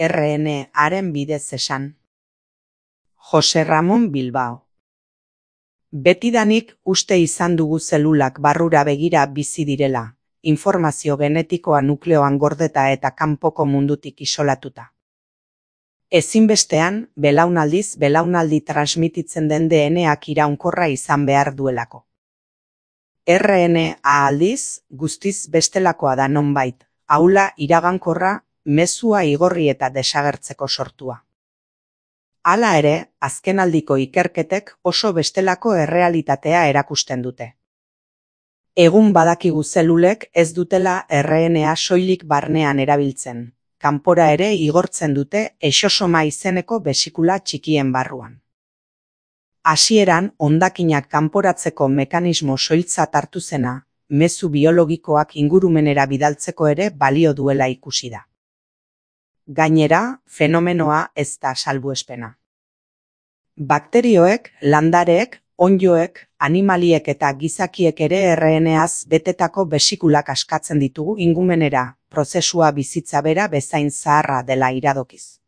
RNA-aren bidez esan. Jose Ramon Bilbao. Betidanik uste izan dugu zelulak barrura begira bizi direla, informazio genetikoa nukleoan gordeta eta kanpoko mundutik isolatuta. Ezinbestean, belaunaldiz belaunaldi transmititzen den DNA-ak iraunkorra izan behar duelako. RNA aldiz, guztiz bestelakoa da nonbait, aula iragankorra, mezua igorri eta desagertzeko sortua. Hala ere, azkenaldiko ikerketek oso bestelako errealitatea erakusten dute. Egun badakigu zelulek ez dutela RNA soilik barnean erabiltzen, kanpora ere igortzen dute exosoma izeneko besikula txikien barruan. Hasieran, hondakinak kanporatzeko mekanismo soiltzat hartu zena, mezu biologikoak ingurumenera bidaltzeko ere balio duela ikusi da. Gainera, fenomenoa ez da salbuespena. Bakterioek, landareek, onddoek, animaliek eta gizakiek ere RNA-az betetako besikulak askatzen ditugu ingurumenera, prozesua bizitza bera bezain zaharra dela iradokiz.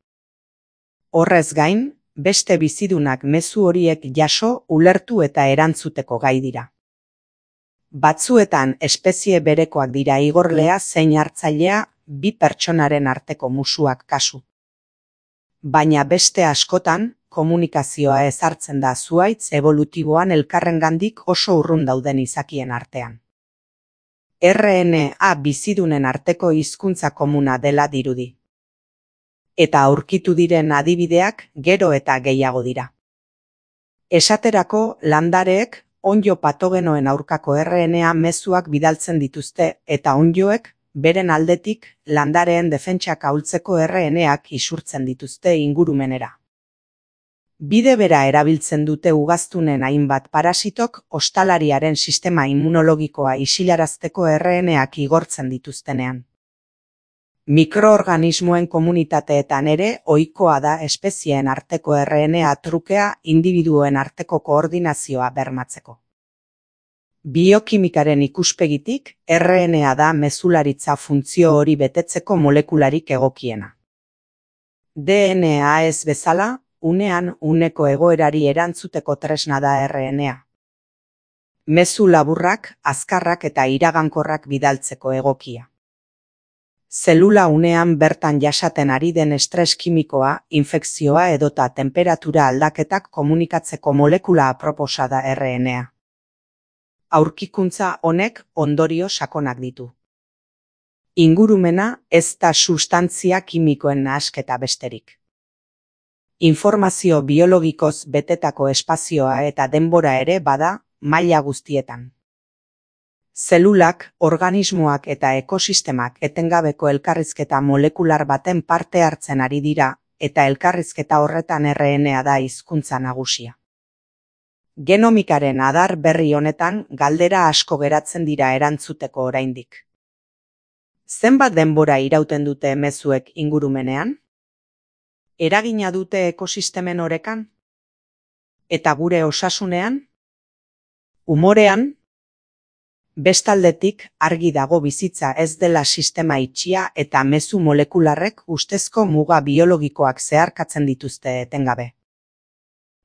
Horrez gain, beste bizidunak mezu horiek jaso, ulertu eta erantzuteko gai dira. Batzuetan espezie berekoak dira igorlea zein hartzailea bi pertsonaren arteko musuak kasu. Baina beste askotan, komunikazioa ezartzen da zuhaitz evolutiboan elkarrengandik oso urrun dauden izakien artean. RNA bizidunen arteko hizkuntza komuna dela dirudi. Eta aurkitu diren adibideak gero eta gehiago dira. Esaterako, landareek onddo patogenoen aurkako RNA mezuak bidaltzen dituzte eta onddoek beren aldetik landareen defentsak ahultzeko RNA-ak isurtzen dituzte ingurumenera. Bide bera erabiltzen dute ugaztunen hainbat parasitok ostalariaren sistema immunologikoa isilarazteko RNA-ak igortzen dituztenean. Mikroorganismoen komunitateetan ere ohikoa da espezieen arteko RNA trukea individuen arteko koordinazioa bermatzeko. Biokimikaren ikuspegitik, RNA da mezularitza funtzio hori betetzeko molekularik egokiena. DNA ez bezala, unean uneko egoerari erantzuteko tresna da RNA. Mezu laburrak, azkarrak eta iragankorrak bidaltzeko egokia. Zelula unean bertan jasaten ari den estres kimikoa, infekzioa edota temperatura aldaketak komunikatzeko molekula aproposa da RNA. Aurkikuntza honek ondorio sakonak ditu. Ingurumena ez da sustantzia kimikoen nahasketa besterik. Informazio biologikoz betetako espazioa eta denbora ere bada maila guztietan. Zelulak, organismoak eta ekosistemak etengabeko elkarrizketa molekular baten parte hartzen ari dira eta elkarrizketa horretan RNA da hizkuntza nagusia. Genomikaren adar berri honetan galdera asko geratzen dira erantzuteko oraindik. Zenbat denbora irauten dute mezuek ingurumenean? Eragina dute ekosistemen orekan? Eta gure osasunean? Umorean? Bestaldetik, argi dago bizitza ez dela sistema itxia eta mezu molekularrek ustezko muga biologikoak zeharkatzen dituzte etengabe.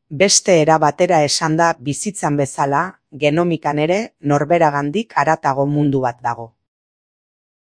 Beste era batera esanda bizitzan bezala, genomikan ere norberagandik haratago mundu bat dago.